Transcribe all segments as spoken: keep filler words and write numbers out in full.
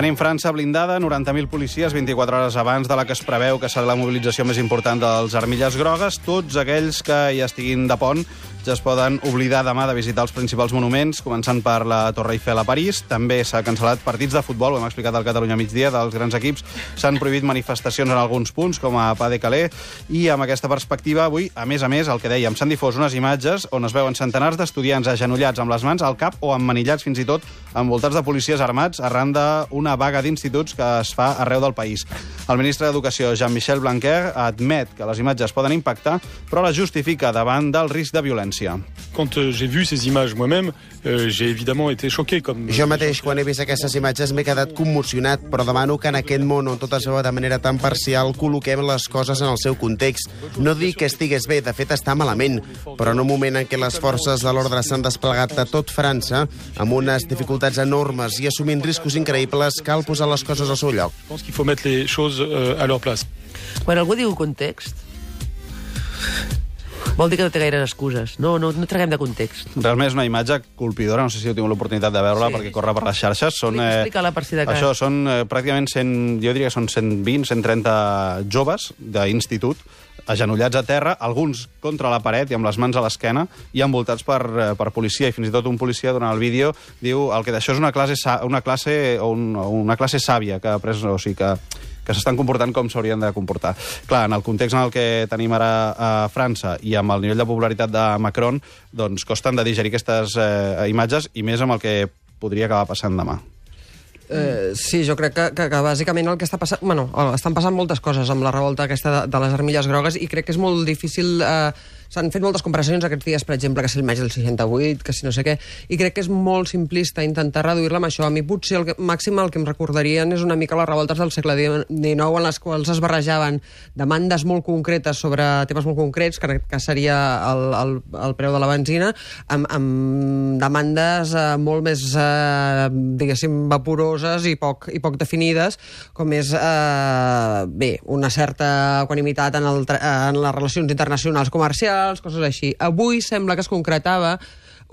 Tenim França blindada, noranta mil policies, vint-i-quatre hores abans de la que es preveu que serà la mobilització més important dels armilles grogues. Tots aquells que ja estiguin de pont ja es poden oblidar demà de visitar els principals monuments, començant per la Torre Eiffel a París. També s'ha cancel·lat partits de futbol, ho hem explicat al Catalunya migdia, dels grans equips. S'han prohibit manifestacions en alguns punts, com a Pas de Calais, i amb aquesta perspectiva, avui, a més a més, el que dèiem, s'han difós unes imatges on es veuen centenars d'estudiants agenollats amb les mans al cap o emmanillats fins i tot envoltats de policies armats arran d'una vaga d'instituts que es fa arreu del país. El ministre d'Educació, Jean-Michel Blanquer, admet que les imatges poden impactar, però la justifica davant del risc de violència. Quand euh, j'ai vu ces images moi-même, euh, j'ai évidemment été choqué. Comme... Jo mateix, quan he vist aquestes imatges, m'he quedat commocionat, però demano que en aquest món on tot es veu de manera tan parcial col·loquem les coses en el seu context. No dic que estigués bé, de fet està malament, però en un moment en què les forces de l'ordre s'han desplegat a tot França, amb unes dificultats enormes i assumint riscos increïbles, cal posar les coses al seu lloc. Je pense qu'il faut mettre les choses euh, à leur place. Quan algú diu context, vol dir que no té gaires excuses. No, no, no traguem de context. Realment és una imatge colpidora, no sé si heu tingut l'oportunitat de veure-la, sí, perquè corre per les xarxes. Són, eh, Explica-la per si de cas. Això són eh, pràcticament cent, jo diria que són cent vint, cent trenta joves d'institut, agenollats a terra, alguns contra la paret i amb les mans a l'esquena i envoltats per, per policia, i fins i tot un policia durant el vídeo diu el que d'això és una classe, una classe, o un, una classe sàvia que ha pres, o sigui que que s'estan comportant com s'haurien de comportar. Clar, en el context en el que tenim ara a França i amb el nivell de popularitat de Macron, doncs costen de digerir aquestes eh, imatges, i més amb el que podria acabar passant demà. Eh, sí, jo crec que, que, que bàsicament el que està passant... Bueno, estan passant moltes coses amb la revolta aquesta de, de les armilles grogues, i crec que és molt difícil... Eh, S'han fet moltes comparacions aquests dies, per exemple, que si el maig del seixanta-vuit, que si no sé què, i crec que és molt simplista intentar reduir-la amb això. A mi potser el que, màxim el que em recordarien és una mica les revoltes del segle dinou, en les quals es barrejaven demandes molt concretes sobre temes molt concrets, que, que seria el, el, el preu de la benzina, amb, amb demandes eh, molt més, eh, diguéssim, vaporoses i poc, i poc definides, com és, eh, bé, una certa equanimitat en, el, en les relacions internacionals comercials, coses així. Avui sembla que es concretava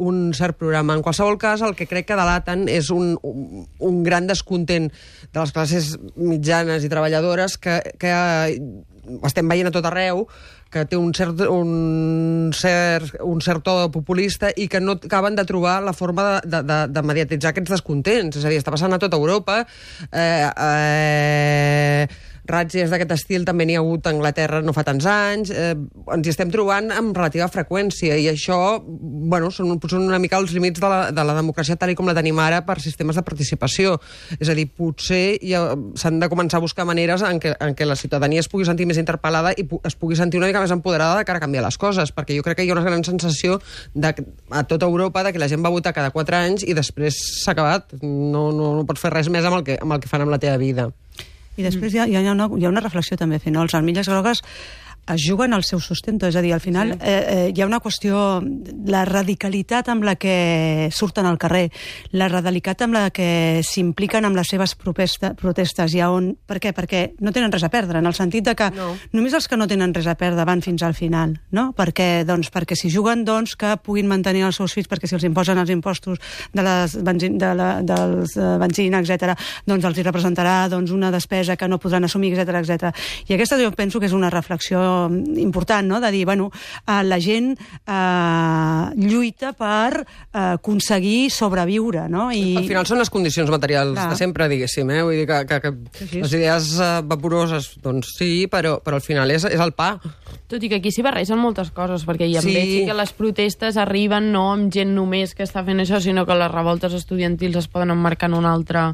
un cert programa. En qualsevol cas, el que crec que delaten és un, un, un gran descontent de les classes mitjanes i treballadores que, que estem veient a tot arreu, que té un cert, un cert, un cert to populista i que no acaben de trobar la forma de, de, de mediatitzar aquests descontents. És a dir, està passant a tota Europa. Eh, eh, Ràtzies d'aquest estil també n'hi ha hagut a Anglaterra no fa tants anys. Eh, ens hi estem trobant amb relativa freqüència, i això, bueno, són, són una mica els límits de la, de la democràcia tal i com la tenim ara per sistemes de participació. És a dir, potser ja s'han de començar a buscar maneres en què, en què la ciutadania es pugui sentir més interpel·lada i es pugui sentir una mica més empoderada de cara a canviar les coses, perquè jo crec que hi ha una gran sensació de, a tota Europa, de que la gent va votar cada quatre anys i després s'ha acabat. No, no, no pots fer res més amb el que, amb el que fan amb la teva vida. I després hi ha, hi ha, una, hi ha una reflexió també a fer, no? Els armilles grogues es juguen al seu sustento, és a dir, al final sí. eh, eh, hi ha una qüestió, la radicalitat amb la que surten al carrer, la radicalitat amb la que s'impliquen amb les seves protesta, protestes, i on, per què? Perquè no tenen res a perdre, en el sentit de que no. Només els que no tenen res a perdre van fins al final, no? Perquè, doncs, perquè si juguen, doncs, que puguin mantenir els seus fills, perquè si els imposen els impostos de les benzin, de la, dels uh, benzina, etcètera, doncs els hi representarà, doncs, una despesa que no podran assumir, etcètera, etcètera. I aquesta jo penso que és una reflexió important, no? De dir, bueno, eh, la gent eh, lluita per eh, aconseguir sobreviure, no? I... Al final són les condicions materials Clar. de sempre, diguéssim, eh? Vull dir que, que, que sí, sí. les idees eh, vaporoses, doncs sí, però, però al final és, és el pa. Tot i que aquí s'hi barregen moltes coses, perquè ja Sí. em veig que les protestes arriben no amb gent només que està fent això, sinó que les revoltes estudiantils es poden emmarcar en un altre,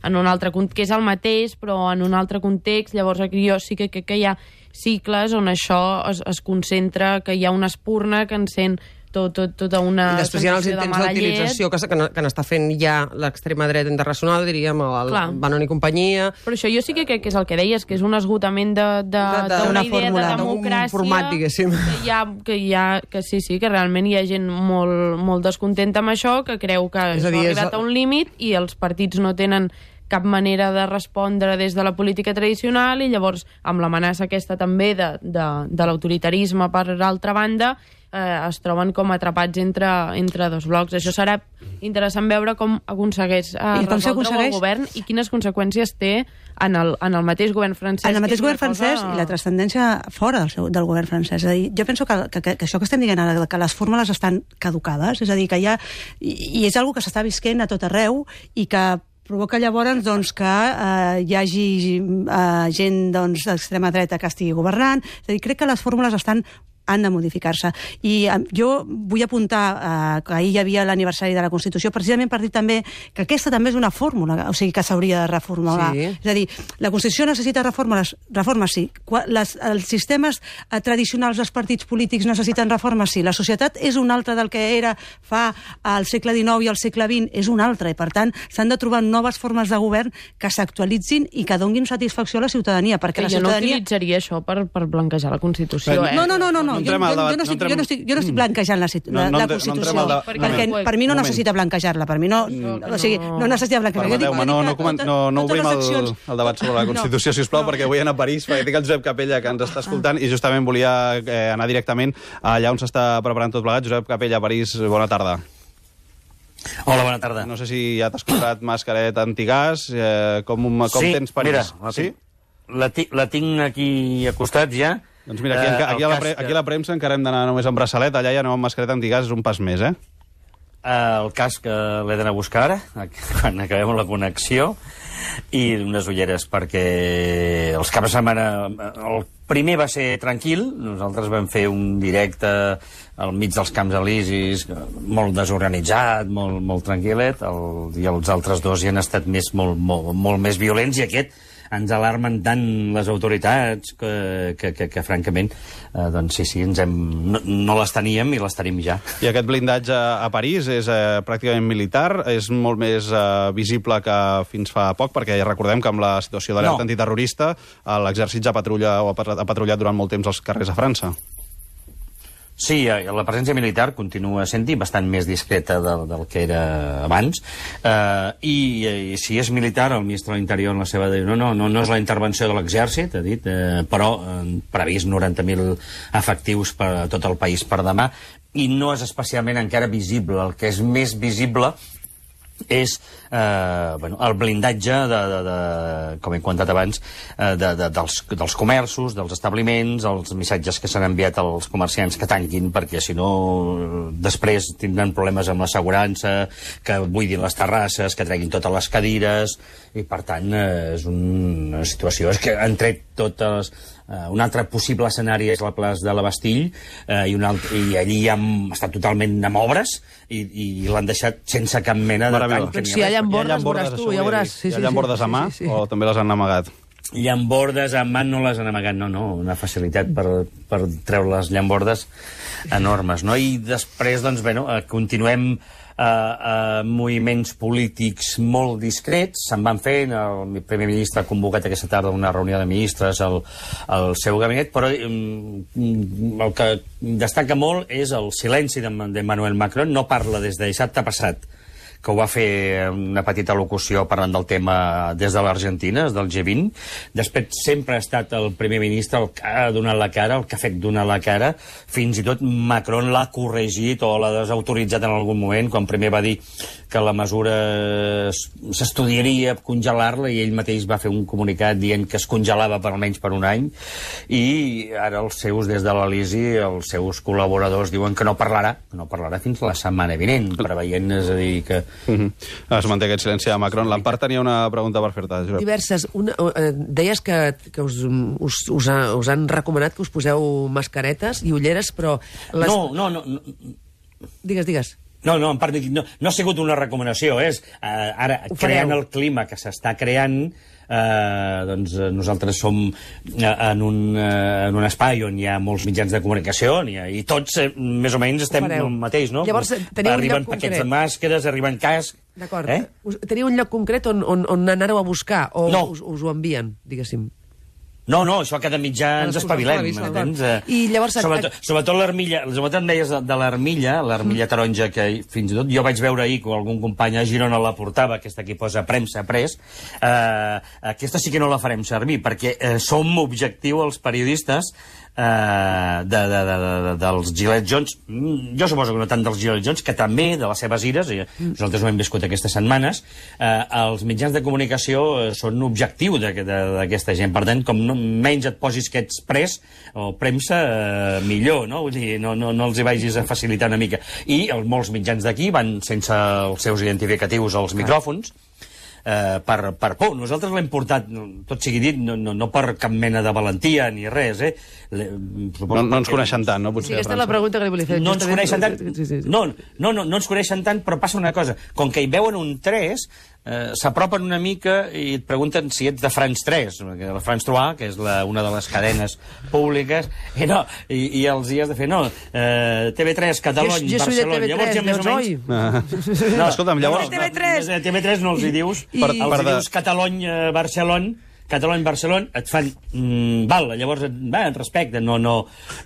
en un altre que és el mateix, però en un altre context. Llavors aquí jo sí que crec que hi ha cicles on això es, es concentra, que hi ha una espurna que encén tot, tot, tota una I després hi ha els sensació de intents mala llet. d'utilització que, que, que n'està fent ja l'extrema dreta internacional, diríem, el Clar. Bannon i companyia. Però això jo sí que crec que és el que deies, que és un esgotament d'una de, de, De- d'una d'una idea fórmula, de d'un democràcia format, diguéssim. que hi ha, que hi ha, que sí, sí, que realment hi ha gent molt, molt descontenta amb això, que creu que És això a dir, ha és arribat el- a un límit i els partits no tenen cap manera de respondre des de la política tradicional, i llavors amb l'amenaça aquesta també de, de, de l'autoritarisme per altra banda, eh, es troben com atrapats entre, entre dos blocs. Això serà interessant veure com aconsegueix eh, resoldre aconsegueix... el govern i quines conseqüències té en el, en el mateix govern francès. En el mateix govern francès cosa... i la transcendència fora del, seu, del govern francès. És a dir, jo penso que, que, que això que estem dient ara, que les fórmules estan caducades, és a dir, que hi ha... I, i és una que s'està visquent a tot arreu i que provoca llavors doncs, que eh, hi hagi eh, gent doncs, d'extrema dreta que estigui governant. És a dir, crec que les fórmules estan han de modificar-se. I eh, jo vull apuntar eh, que ahir hi havia l'aniversari de la Constitució, precisament per dir també que aquesta també és una fórmula, o sigui, que s'hauria de reformular. Sí. És a dir, la Constitució necessita reformes, reformes sí. Les, els sistemes eh, tradicionals dels partits polítics necessiten reformes sí. La societat és una altra del que era fa al segle dinou i al segle vint, és una altra, i per tant s'han de trobar noves formes de govern que s'actualitzin i que donguin satisfacció a la ciutadania, perquè que la jo ciutadania... no utilitzaria això per, per blanquejar la Constitució, Però, eh? No, no, no, no. No jo, jo, jo, no estic, jo, no estic, jo no estic blanquejant la, la, no, no, la no Constitució, entrem al debat. perquè No, per mi no moment. necessita blanquejar-la, per mi no, No, o sigui, no necessita blanquejar-la. Jo dic- Permeteu-me, no, jo no, dic que coment- tota- no, no totes obrim les el, accions- el debat sobre la Constitució, no. sisplau, perquè vull anar a París, perquè tinc el Josep Capella que ens està escoltant i justament volia eh, anar directament allà on s'està preparant tot plegat. Josep Capella, a París, bona tarda. Hola, bona tarda. No sé si ja t'has comprat mascareta antigàs, eh, com, com sí, tens París? Mira, la, sí? la, ti, la tinc aquí a costat ja. Doncs mira, aquí, eh, aquí, a la pre, aquí a la premsa encara hem d'anar només amb braçalet, allà ja no amb mascareta antigàs, és un pas més, eh? El cas que l'he d'anar a buscar ara, quan acabem la connexió, i unes ulleres, perquè els caps de setmana... El primer va ser tranquil, nosaltres vam fer un directe al mig dels Camps Elisis, molt desorganitzat, molt, molt tranquil·let, el, i els altres dos hi han estat més, molt, molt, molt més violents, i aquest ens alarmen tant les autoritats que, que, que, que francament, eh, doncs sí, sí, ens hem, no, no les teníem i les tenim ja. I aquest blindatge a París és eh, pràcticament militar, és molt més eh, visible que fins fa poc, perquè ja recordem que amb la situació d'alerta No. antiterrorista l'exèrcit ja patrulla o ha patrullat durant molt temps als carrers de França. Sí, la presència militar continua sent-hi bastant més discreta del, del que era abans, eh, i, i si és militar, el ministre de l'Interior en la seva diu, no, no, no, no és la intervenció de l'exèrcit, ha dit, eh, però eh, previst noranta mil efectius per a tot el país per demà, i no és especialment encara visible. El que és més visible és eh, bueno, el blindatge, de, de, de, com he comentat abans, eh, de, de, dels, dels comerços, dels establiments, els missatges que s'han enviat als comerciants que tanquin, perquè si no després tindran problemes amb l'assegurança, que buidin les terrasses, que treguin totes les cadires, i per tant eh, és una situació... És que han tret totes... Uh, un altre possible escenari és la plaça de la Bastille, uh, i, un altre, i allí ja està totalment amb obres i, i l'han deixat sense cap mena de tall. Doncs si hi ha llambordes, veuràs tu, ja veuràs. Hi ha llambordes a mà sí, sí, sí. o també les han amagat? Llambordes a mà no les han amagat, no, no, una facilitat per, per treure les llambordes enormes, no? I després, doncs, bueno, uh, continuem a uh, uh, moviments polítics molt discrets, se'n van fer, el primer ministre ha convocat aquesta tarda una reunió de ministres al, al seu gabinet, però um, el que destaca molt és el silenci d'Emmanuel Macron. No parla des de dissabte passat, que ho va fer una petita locució parlant del tema des de l'Argentina, del G vint. Després sempre ha estat el primer ministre el que ha donat la cara, el que ha fet donar la cara. Fins i tot Macron l'ha corregit o l'ha desautoritzat en algun moment, quan primer va dir que la mesura s'estudiaria congelar-la, i ell mateix va fer un comunicat dient que es congelava per almenys per un any, i ara els seus, des de l'Elisi, els seus col·laboradors diuen que no parlarà, que no parlarà fins la setmana vinent, preveient, és a dir, que Uh -huh. Es manté aquest silenci de Macron. L'Empar tenia una pregunta per fer-te, Josep. Diverses. Una, eh, deies que, que us, us, us, ha, us han recomanat que us poseu mascaretes i ulleres, però... Les... No, no, no, no. Digues, digues. No, no, en part, no, no ha sigut una recomanació, és eh, ara, Ho creant fareu. el clima que s'està creant, eh, doncs eh, nosaltres som eh, en, un, eh, en un espai on hi ha molts mitjans de comunicació, i, i tots, eh, més o menys, estem fareu. el mateix, no? Llavors, teniu un arriben lloc paquets concret. de màscares, arriben cascs... D'acord. Eh? Us- Teniu un lloc concret on, on, on aneu a buscar o No. us, us ho envien, diguéssim? No, no, això cada mitjà ens espavilem. I llavors... Sobretot, sobretot l'armilla, sobretot em deies de l'armilla, l'armilla taronja, que fins i tot jo vaig veure ahir que algun company a Girona la portava, aquesta aquí posa premsa pres, eh, aquesta sí que no la farem servir, perquè eh, som objectiu els periodistes eh, de, de, de, de, dels Gillette Jones, jo suposo que no tant dels Gillette Jones, que també de les seves ires, i nosaltres ho hem viscut aquestes setmanes, eh, els mitjans de comunicació eh, són objectiu d'aquesta gent, per tant, com no, menys et posis que ets pres o premsa, eh, millor, no? Vull dir, no, no, no els hi vagis a facilitar una mica. I els, molts mitjans d'aquí van sense els seus identificatius als micròfons, eh, per, per por. Nosaltres l'hem portat, tot sigui dit, no, no, no per cap mena de valentia ni res, eh? Le, no, no ens coneixen tant, no? Potser sí, aquesta és la pregunta que li volia fer. No ens coneixen tant, sí, sí, sí. No, no, no, no ens coneixen tant, però passa una cosa. Com que hi veuen un tres, eh, s'apropen una mica i et pregunten si ets de France tres, la France trois, que és la, una de les cadenes públiques, i, no, i, i els hi has de fer, no, eh, T V tres, Catalunya, jo, jo Barcelona. T V tres, llavors ja més o menys... Ah. No, escolta'm, llavors... T V tres. No, T V tres no els hi dius, I... per, els hi dius Catalunya, Barcelona, Catalunya, Barcelona, et fan... Mm, val, llavors et, va, et respecten, no, no,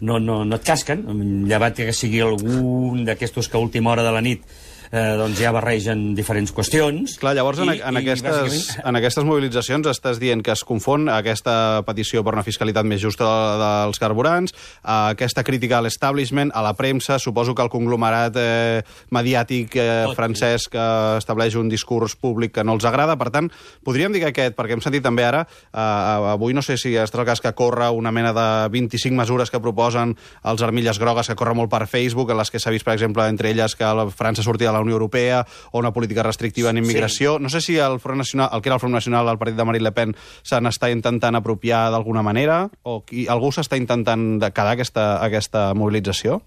no, no, no et casquen, llevat que sigui algun d'aquestos que a última hora de la nit eh, doncs ja barregen diferents qüestions. Clar, llavors en, i, en, i, aquestes, bàsicament... en aquestes mobilitzacions estàs dient que es confon aquesta petició per una fiscalitat més justa dels carburants, aquesta crítica a l'establishment, a la premsa, suposo que el conglomerat eh, mediàtic eh, Tot, francès que estableix un discurs públic que no els agrada. Per tant, podríem dir que aquest, perquè hem sentit també ara, eh, avui no sé si és el cas que corre una mena de vint-i-cinc mesures que proposen els armilles grogues, que corre molt per Facebook, en les que s'ha vist, per exemple, entre elles que la França sortia de la Unió Europea o una política restrictiva en immigració. Sí. No sé si el Front Nacional, el que era el Front Nacional, el partit de Marine Le Pen, se n'està intentant apropiar d'alguna manera, o qui, algú s'està intentant de quedar aquesta, aquesta mobilització?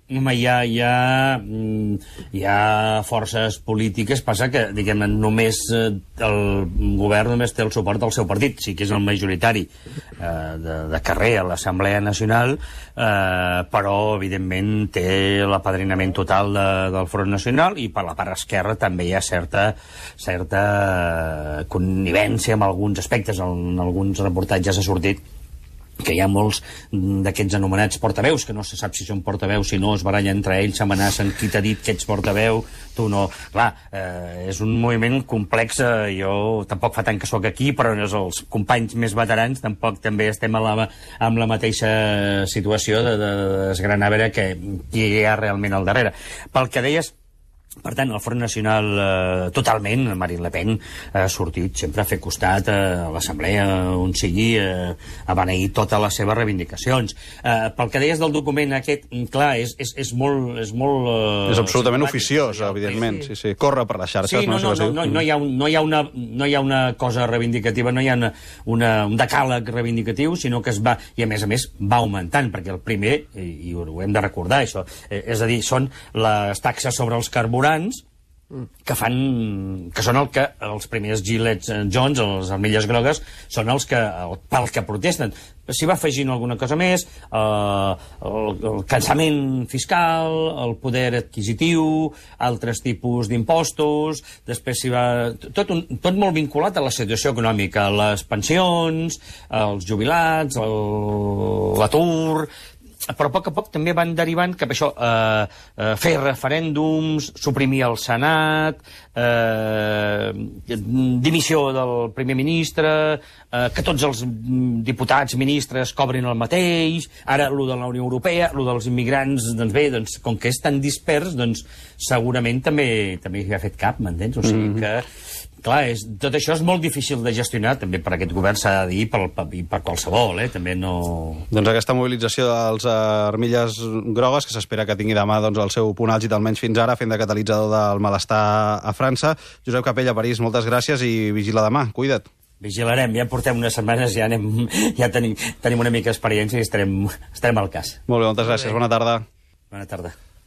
Home, hi ha, hi, ha, hi ha forces polítiques, passa que, diguem, només el govern només té el suport del seu partit, sí que és el majoritari eh, de, de carrer a l'Assemblea Nacional, eh, però, evidentment, té l'apadrinament total de, del Front Nacional, i per la part esquerra també hi ha certa, certa connivència en alguns aspectes. En alguns reportatges ha sortit que hi ha molts d'aquests anomenats portaveus, que no se sap si són portaveus, si no, es barallen entre ells, s'amenacen, qui t'ha dit que ets portaveu, tu no. Clar, eh, és un moviment complex, eh, jo tampoc fa tant que sóc aquí, però els companys més veterans tampoc també estem a la, amb la mateixa situació de, de desgranar a veure que, qui hi ha realment al darrere. Pel que deies, per tant, el Front Nacional eh, totalment, Marine Le Pen ha sortit sempre a fer costat eh, a l'Assemblea on sigui, eh, a beneir totes les seves reivindicacions. Eh, pel que deies del document aquest, clar, és, és, és molt... És, molt, eh, és absolutament oficiós, evidentment, sí, sí. Corre per les xarxes. Sí, no, no, no, no, no, hi ha un, no, hi ha una, no hi ha una cosa reivindicativa, no hi ha una, una, un decàleg reivindicatiu, sinó que es va, i a més a més va augmentant, perquè el primer, i, i ho hem de recordar, això, eh, és a dir, són les taxes sobre els carburants, que fan, que són el que els primers Gillette Jones, les armilles grogues, són els que, el, pel que protesten. S'hi va afegint alguna cosa més, eh, el, el cansament fiscal, el poder adquisitiu, altres tipus d'impostos, després s'hi va... Tot, un, tot molt vinculat a la situació econòmica, les pensions, els jubilats, l'atur... Però a poc a poc també van derivant cap a això, eh, eh, fer referèndums, suprimir el Senat, eh, dimissió del primer ministre, eh, que tots els diputats, ministres cobrin el mateix, ara lo de la Unió Europea, lo dels immigrants, doncs bé, doncs, com que és tan dispers, doncs segurament també també hi ha fet cap, m'entens? O sigui que... Clar, és, tot això és molt difícil de gestionar, també per aquest govern s'ha de dir, per, per, per qualsevol, eh? També no... Doncs aquesta mobilització dels armilles grogues, que s'espera que tingui demà doncs, el seu punt àlgid, almenys fins ara, fent de catalitzador del malestar a França. Josep Capella, París, moltes gràcies i vigila demà. Cuida't. Vigilarem, ja portem unes setmanes, ja, anem, ja tenim, tenim una mica d'experiència i estarem, estarem al cas. Molt bé, moltes gràcies. Bona tarda. Bona tarda.